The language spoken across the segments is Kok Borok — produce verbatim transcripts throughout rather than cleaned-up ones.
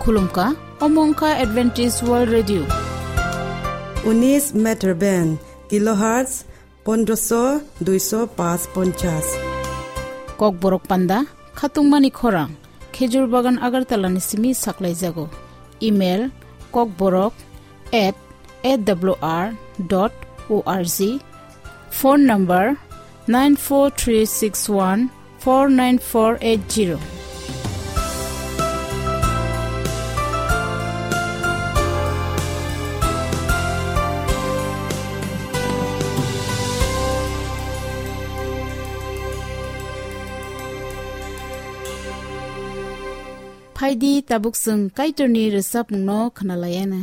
Khulumkha, omo wngkha Adventist World Radio. Unis meter band, kilohertz pondroso duiso pas ponchas. Kokborok panda, khatungmani khorang, Khejur Bagan Agartala ni simi saklaijago. Email, kokborok at A W R dot O R G. Phone number, nine four three six one four nine four eight zero. Phaidi tabuk chwng Kaitorni rwchapmungno khwnalaiyana.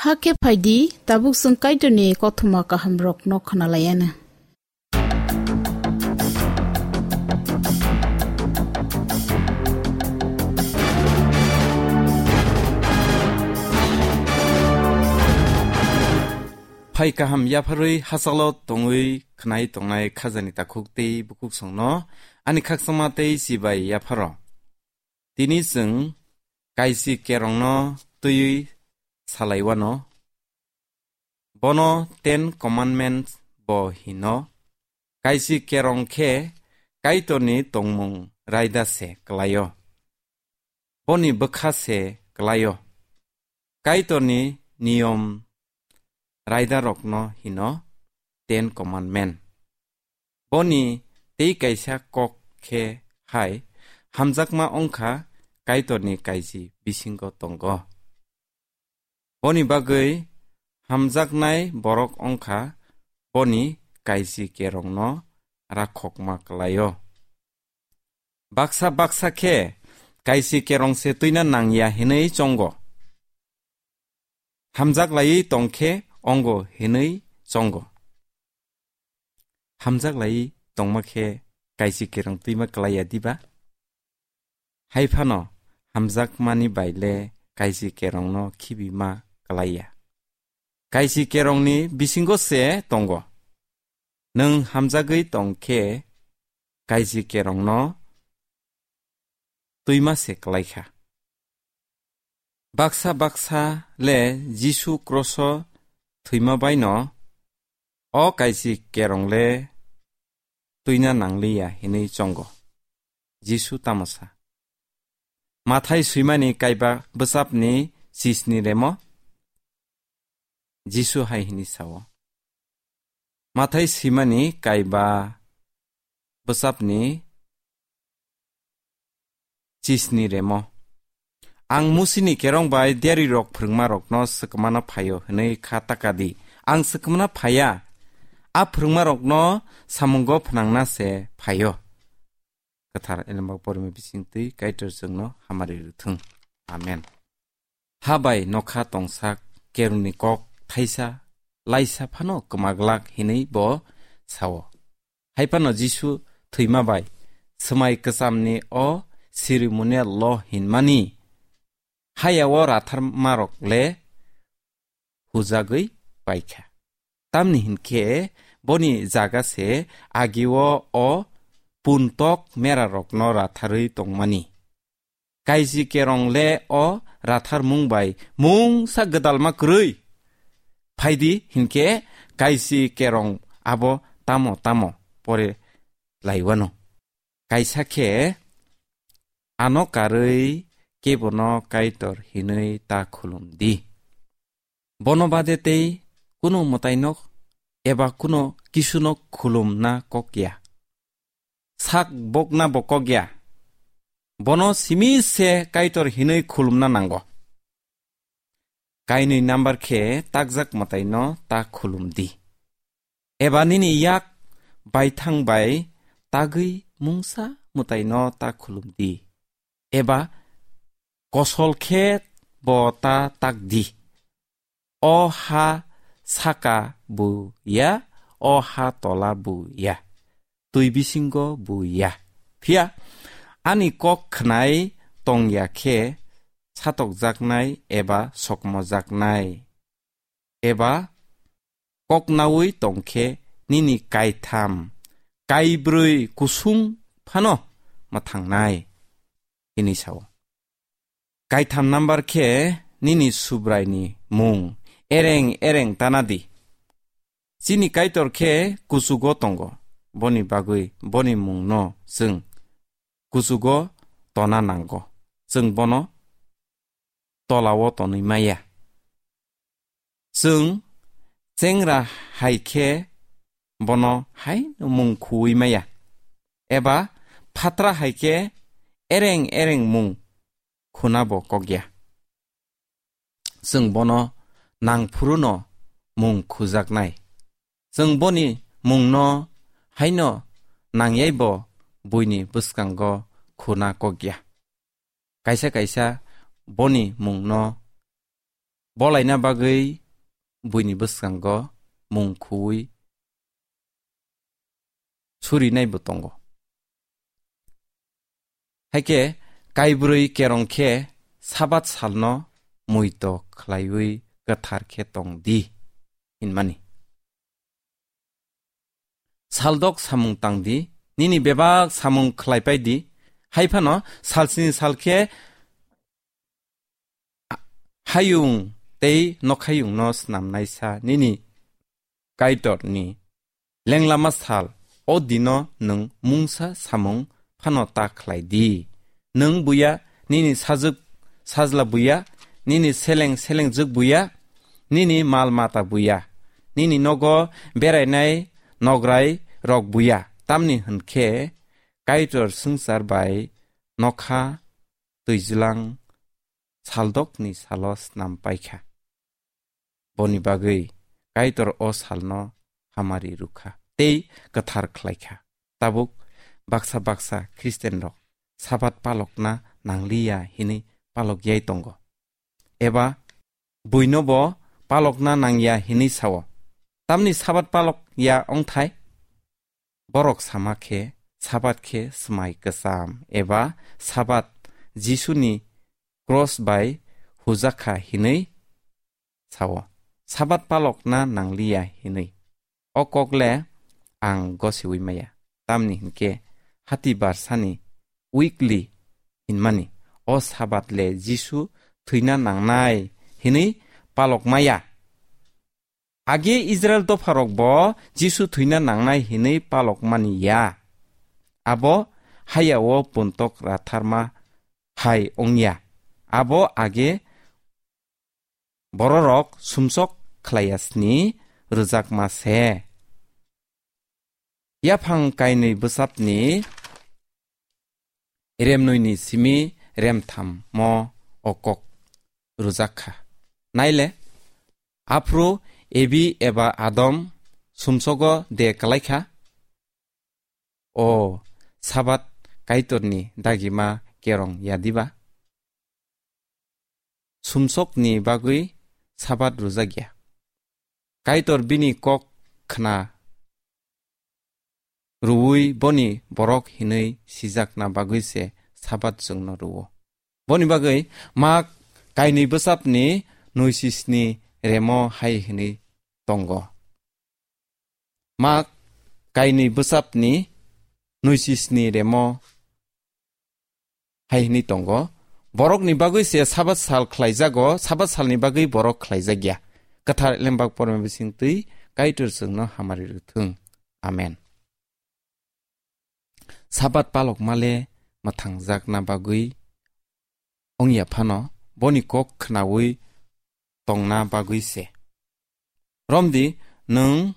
Hakhe phai di, tabuk chwng Kaitorni kothoma kahamrokno khna lai anw. Phai kaham yapharwi hachalo tongwi khnai tongnai khajani takhuk tei bukhuk songno ani khakchangma tei chibai yapharo. Tini chwng kaisi kerongno twiwi salaiwano. Bono Ten Commandments bo hino. Kaisi kerong khe Kaitorni tongmung raida se kwlaio. Boni bwkha se kwlaio. Kaitorni niyom raidarokno hino Ten Commandment. Boni tei kaisa kok khe hai, hamjakma wngkha Kaitorni kaisi bisingo tongo. Boni bagwi hamjaknai borok wngkha boni kaisi kerongno rakhokma kwlaio. Baksa baksa khe kaisi kerong se twina nangya hinwi chongo. Hamjak laiwi tongkhe ongo hinwi chongo. Hamjak laiwi tongma khe kaisi kerong twima kwlaiya diba? Hai phano hamjakmani bai le kaisi kerongno khibima kwlaiya. Kaisi kerongni bisingo se tongo. Nwng hamjagwi tong khe kaisi kerongno twima se kwlaikha. Baksa baksa le Jisu kroso thwima baino o kaisi kerong le twina nangliya hinwi chongo. Jisu tamo sa? Mathai swimani kaiba bwsapni chisni remo Jisu hai hini sao. Mathai swimani kaiba bwsapni chisni remo. Ang Musini kerong bai diarirok phwrwngmarokno swkmana phaio hwnwi kha taka di. Ang swkmana phaiya. A phwrwngmarokno samungo phnangna se phaio. Kwthar Elembak porima bisingtwi Kaitor chwngno hamari rwthwng. Amen. Ha bai nokha tongsak kerongni kok thaisa laisa phano kwmaglak hinwi bo sao. Hai phano Jisu thwima bai swmai kwchamni o ceremonial law hinmani haya o ratharmarok le hujagwi paikha. Tamni hinkhe boni jaga se agio o puntok merarokno ratharwi tongmani. Kaisi kerong le o ratharmung bai mungsa gwdalma kwrwi. Phaidi hinkhe kaisi kerong abo tamo tamo pore laiwano. Kaisa khe ano karwi kebono Kaitor hinwi ta khulum di. Bono bade tei kuno mwtaino eba kuno kisuno khulumna kok ya. Sak bokna bo kok ya. Bono simi se Kaitor hinwi khulumna nango. Kainwi number khe takjak mwtaino ta khulum di. Eba nini yak baithang bai tagwi mungsa mwtaino ta khulum di. Eba kosol khe bo ta tak di. O ha saka bu ya, o ha tola bu ya, twi bisingo bu ya. Phiya ani kok khnai tong ya khe satokjaknai eba sokmojaknai. Eba kok naui tong khe nini kaitham, kaibrwi kusung phano mwthangnai. Hini sao. Kaitham number khe nini Subraini mung ereng ereng tana di. Chini Kaitor khe kuchugo tongo, boni bagwi boni mungno chwng kuchugo tona nango. Chwng bono tolao tonwi maya. Chwng chengra hai khe bono hai mung khuwi maya, eba phatra hai khe ereng ereng mung khuna bo kok ya. Chwng bono nang phuru no mung khujaknai. Chwng boni mungno haino nangyai bo buini bwskango khuna kok ya. Kaisa kaisa boni mungno bolaina bagwi buini bwskango mung khuwi surinaibo tongo. Haikhe kaibrwi kerong khe Sabat salno muito khlaiwi kwthar khe tong di hinmani. Saldok samung tang di, nini bebak samung khlai pai di, hai phano salsni sal khe hayung tei nokhayungno snamnaisa nini Kaitorni lenglama sal, o dino nwng mungsa samung phano ta khlai di. Nwng buya, nini sajwk sajla buya, nini seleng selengjwk buya, nini mal mata buya, nini nogo berainai nograi rok buya, tamni hwnkhe Kaitor swngchar bai nokha twijlang saldokni salo snam paikha. Boni bagwi Kaitor o salno hamari rwkha tei kwthar khlaikha. Tabuk baksa baksa Khristianrok Sabat palokna nangliya hinwi palokyai tongo, eba buinobo palokna nangya hinwi sao. Tamni Sabat palok ya wngthai? Borok sama khe Sabat khe swmai kwcham eba Sabat Jisuni cross bai hujakha hinwi sao. Sabat palokna nangliya hinwi. O kok le ang gosiwi maya. Tamni hinkhe hati barsani weekly hinmani o Sabat le Jisu thwina nangnai hinwi palok maya. Age Israel dopharok bo Jisu thwina nangnai hinwi palok mani ya. Abo haya o puntok ratharma hai wngya. Abo age bororok sumsok khlaiya sni rwjakma se. Yaphang kainwi bwsapni remnwini simi remtham mo o kok rwjak kha. Naile, aphuru Ebi eba Adam sumsogo de kwlai kha? O Sabat Kaitorni dagima kerong ya diba? Sumsokni bagwi Sabat rwjak ya. Kaitor bini kok khna rwui boni borok hinwi sijakna bagwi se Sabat chwngno rwo. Boni bagwi Mak kainwi bwsapni nwisisni remo hai hinwi tongo. Mak kainwi bwsapni nwisisni remo hai hinwi tongo, borokni bagwi se Sabat sal khlaijago, Sabat salni bagwi borok khlaijak ya. Kwthar Lembak Porma bisingtwi Kaitor chwngno hamari rwthwng. Amen. Sabat palok male mwthangjakna bagwi wngya phano, boni kok khnaui tongna bagwi se. Romdi, nwng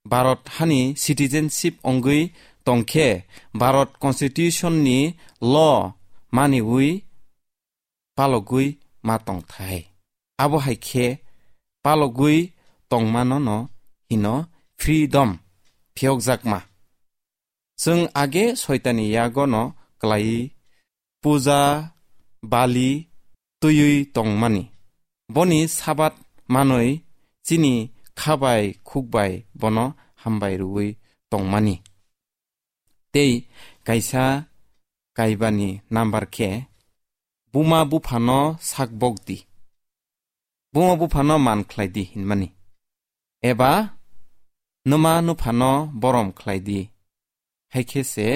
Bharat hani citizenship wngwi tongkhe, Bharat Constitution ni law maniui palogwi ma tongthai. Abo hai khe palogwi tongmano no hino freedom phiyokjakma. Chwng age soitani yago no klai puja bali twiwi tongmani. Boni Sabat manwi chini khabai khukbai bono hambai rwui tongmani. Tei kaisa kaibani number khe buma buphano sak bok di. Buma buphano man khlai di hinmani. Eba numa nuphano borom khlai di. Hai khe se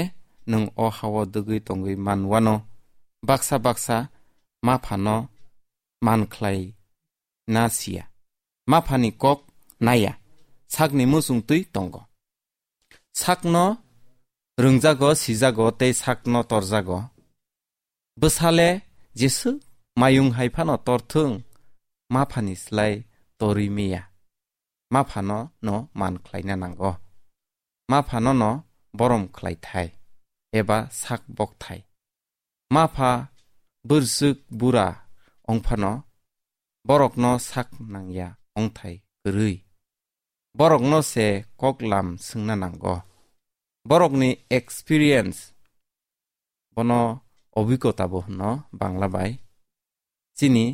nwng o hao dwgwi tongwi man wano. Baksa baksa maphano man khlai na siya. Maphani kok naya. Sakni muchung twi tongo. Sakno rwngjago, sijago tei sakno torjago. Bwsale jeswk mayung hai phano torthwng, maphani slai torwi meya. Maphano no man khlaina nango. Maphano no borom khlai thai eba sak bok thai. Mapha bwrwswk bura wngphano borokno sak nangya wngthai kwrwi. Borokno se kok lam swngna nango. Borokni experience, bono obhigota bo hwno Bangla bai, chini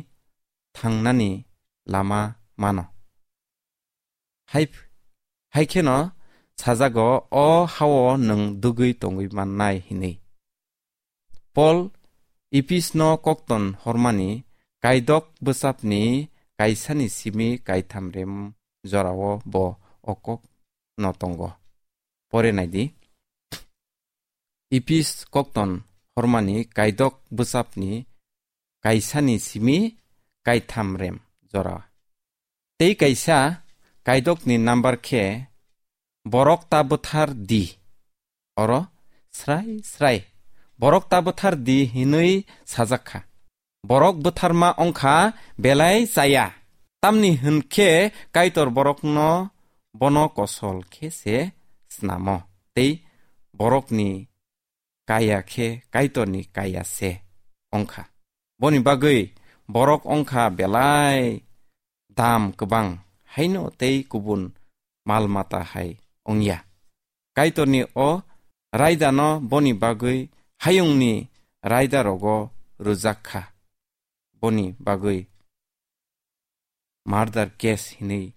thangnani lama mano. Hai, hai kheno sajago, o hao nwng dugwi tongwi mannai hinwi. Paul Ephisno kokton hormani kaidok bwsapni kaisani simi kaitham rem jorao bo o kokno tongo. Pore naidi. Ephis kokton hormani kaidok bwsapni kaisani simi kaitham rem jora. Tei kaisa kaidokni number khe borok ta bwthar di. Oro srai srai borok ta bwthar di hinwi sajak kha. Borok bwtharma wngkha belai chaya. Tamni hwn khe Kaitor borokno bono kosol khe se snamo. Tei borokni kaya khe Kaitorni kaya se wngkha. Boni bagwi borok wngkha belai dam kwbang, haino tei kubun mal mata hai wngya. Kaitorni o raidano boni bagwi hayungni raida rogo rwjak kha. Boni bagwi murder case hinwi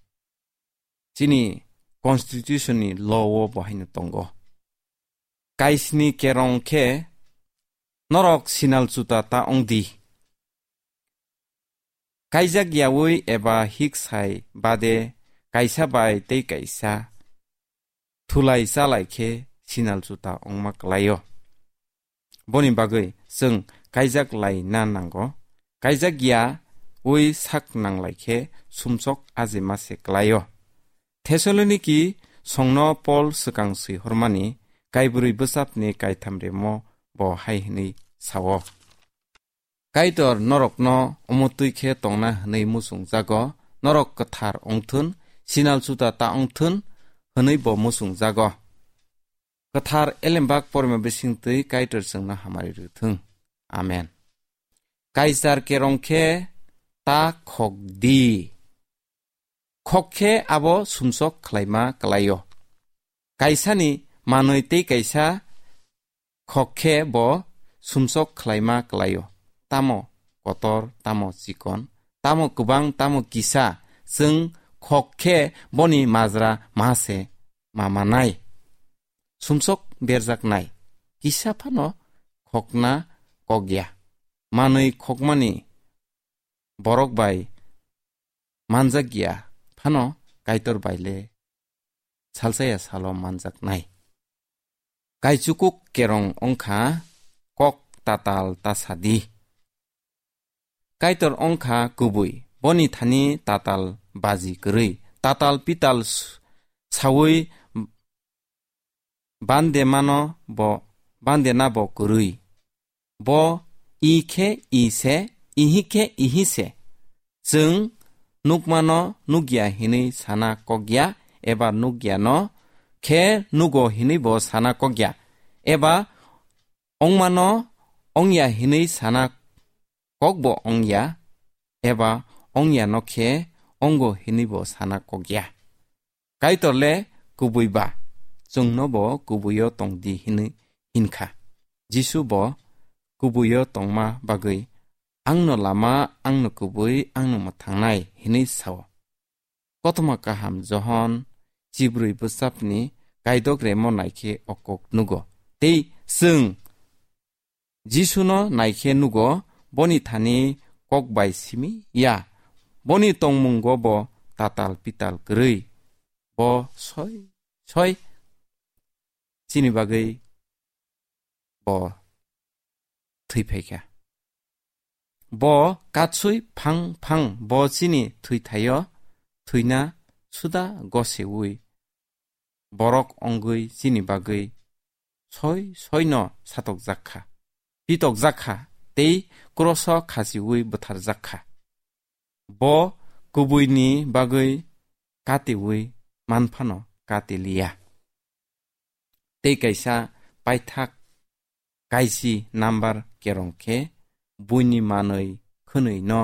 chini constitution ni law o bo haino tongo. Kaisni kerong khe norok sinal chuta ta wng di. Kaijak yaui eba hik sai bade kaisa bai tei kaisa thulai chalai khe sinal chuta wngma kwlaio. Boni bagwi chwng kaijak lai na nango. Kaijak ya ui sak nanglai khe sumsok ajima se kwlaio. Thessaloniki songno Paul swkang swi hormani kaibrwi bwsapni kaitham remo bo hai hwnwi sao. Kaitor norokno omotwi khe tongna hwnwi muchung jago, norok kwthar wngthun, sinal chuta ta wngthun hwnwi bo muchung jago. Kwthar elembak porma bisingtwi Kaitor chwngno hamari rwthwng. Amen. Kaichar kerong khe ta khok di. Khok khe abo sumsok khlaima kwlaio. Kaisani manwi tei kaisa khok khe bo sumsok khlaima kwlaio. Tamo kotor, tamo chikon, tamo kwbang, tamo kisa, chwng khok khe boni majra ma se ma manai. Sumsok berjaknai, kisa phano khokna kok ya. Manwi khokmani borok bai manjak ya phano Kaitor bai le salsa ya salo manjaknai. Kaichukuk kerong wngkha kok tatal ta sadi. Kaitor wngkha kubui, boni thani tatal baji kwrwi, tatal pital s-, saui bande mano bo, bande na bo kwrwi. Bo i khe i se, ihi khe ihi se. Chwng nukmano nukya hinwi sana kokya, eba nukyano khe nugo hinwi bo sana kokya, eba ongmano ongya hinwi sana kokbo ongya, eba ongyano khe ongo hinwi bo sana kokya. Kaitor le kubui ba, chwngno bo kubuio tong di hinwi hinkha. Jisu bo kubuio tongma bagwi, "Angno lama, angno kubui, angno mwthangnai," hinwi sao. Kothoma kaham Johon chibrwi bwsapni kaidok remo naikhe o kok nugo. Tei chwng Jisuno naikhe nugo, boni thani kok bai simi ya. Boni tongmungo bo tatal pital kwrwi. Bo soi soi chini bagwi bo thwi phaikha. Bo katsui phang phang bo chini thwithaio thwina suda goseui borok ongwi chini bagwi soi soino satokjak kha, pitokjak kha tei kroso khachiui butharjak kha. Bo kubuini bagwi katiui manphano kati liya. Tei kaisa paithak kaisi number kerong khe buini manwi khwnwi no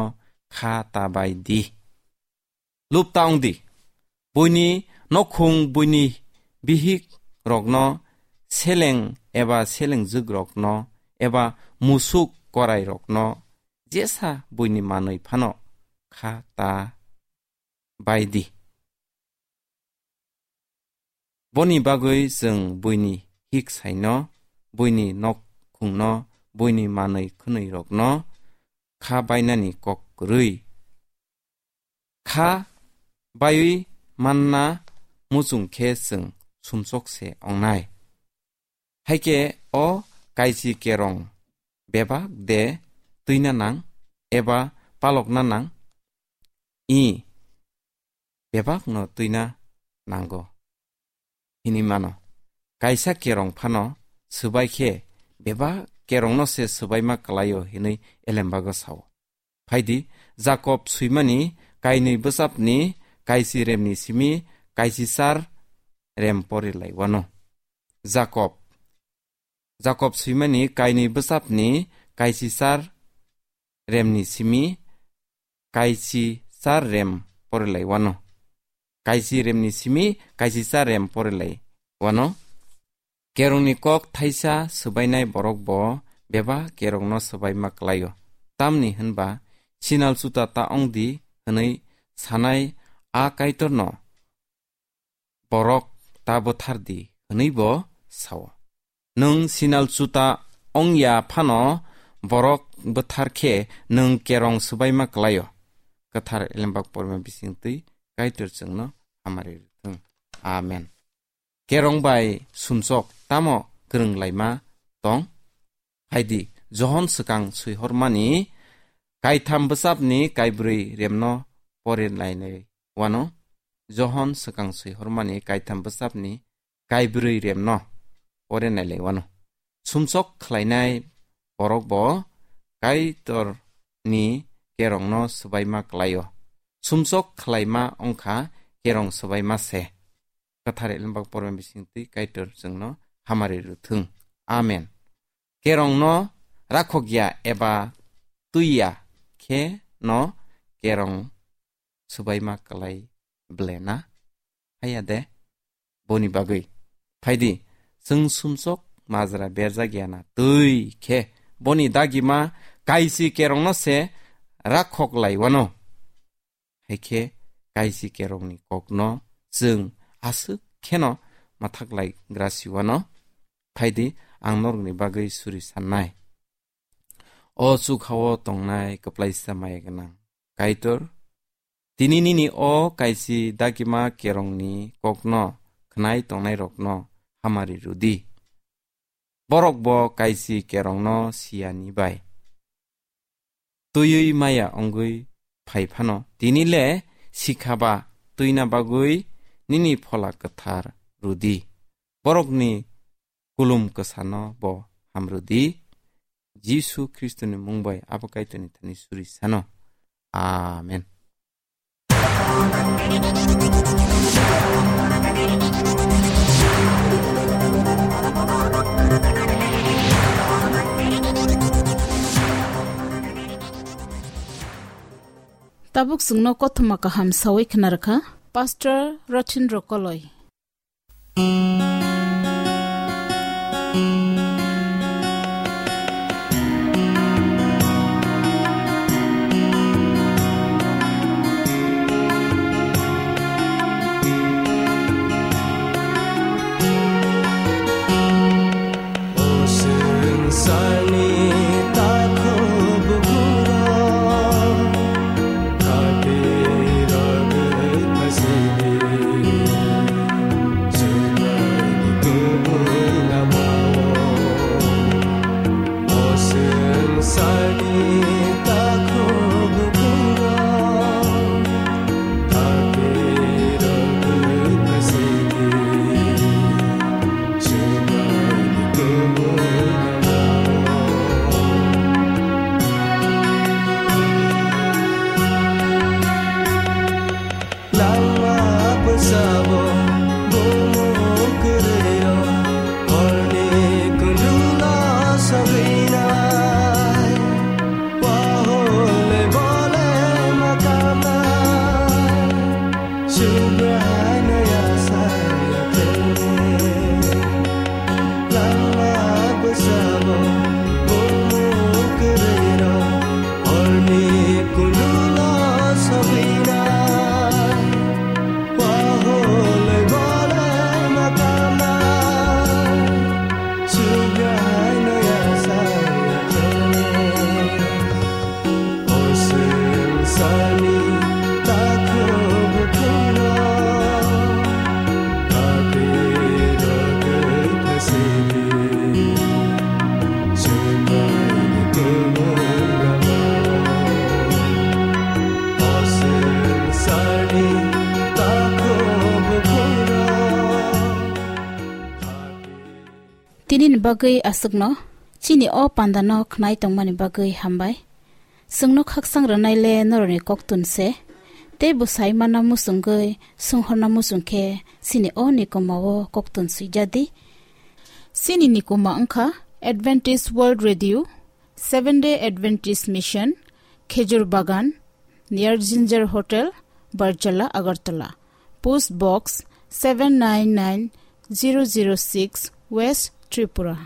kha ta bai di. Lupta wng di. Buini nokhung, buini bihik rokno, seleng eba selengjwk rokno, eba musuk korai rokno, jesa buini manwi phano kha ta bai di. Boni bagwi chwng buini hik saino, buini nok khungno, buini manwi khwnwi rokno kha bainani kok kwrwi. Kha baiwi manna muchung khe chwng sumsok se ongnai. Haikhe o kaisi kerong bebak de twina nang eba palokna nang? I, bebakno twina nango hinwi mano. Kaisa kerong phano swbai khe bebak kerongno se swbaima kwlaio hinwi elembago sao. Phaidi, Jakob swimani kainwi bwsapni kaisi remni simi kaisi char rem pori lai wano. Jakob, Jakob swimani kainwi bwsapni kaisi char remni simi kaisi char rem pori lai wano. Kaisi remni simi kaisi char rem pori lai wano. Kerongni kok thaisa swbainai borok bo bebak kerongno swbaima kwlaio. Tamni hwnba, sinal chuta ta ong di hwnwi sanai a Kaitorno borok ta bwthar di hwnwi bo sao. Nwng sinal chuta ong ya phano borok bwthar khe nwng kerong swbaima kwlaio. Kwthar Elembak porima bisingtwi Kaitor chwngno hamari rwthwng. Amen. Kerong bai sumsok tamo kwrwng laima tong? Phaidi, Johon swkang swihormani kaitham bwsapni kaibrwi remno pore nainai wano. Johon swkang swihormani kaitham bwsapni kaibrwi remno pore nailai wano. Sumsok khlainai borok bo Kaitorni kerongno swbaima kwlaio. Sumsok khlaima wngkha kerong swbaima se. Kwthar Elembak porma bisingtwi Kaitor chwngno hamari rwthwng. Amen. Kerongno rakhok ya eba twi ya khe no kerong swbaima kwlai ble na? Haya de, boni bagwi. Phaidi, chwng sumsok majra berjak ya na twi khe boni dagima kaisi kerongno se rakhok lai wano. Haikhe kaisi kerongni kokno chwng aswk kheno mwthak lai grasi wano. Phaidi, ang norokni bagwi suri sannai. O chukhao tongnai kwplaisa maya gwnang Kaitor, tini nini o kaisi dagima kerongni kokno khnai tongnairokno hamari rwdi. Borok bo kaisi kerongno siyani bai twiwi maya wngwi phai phano, tini le sikha ba twina bagwi nini Phola Kwthar rwdi. Borokni kulum kwsano bo hamrwdi. Jisu Khristoni mung bai abo Kaitorni thani suri sano. Amen. Tabuk chwngno kothoma kaham sawi khna rwkha Pastor Rothin Rokoloi. Bagwi aswkno chini o pandano khnai tongmani bagwi hambai. Chwngno khaksang rwnaile norokni koktun se. Tei bwsai mana muchungwi songhorna muchung khe chini o nikoma o koktun swijadi. Chini nikoma wngkha Adventist World Radio, Seventh Day Adventist Mission, Khejur Bagan, near Ginger Hotel, Barjala, Agartala. Post Box seven nine nine zero zero six, West Tripura.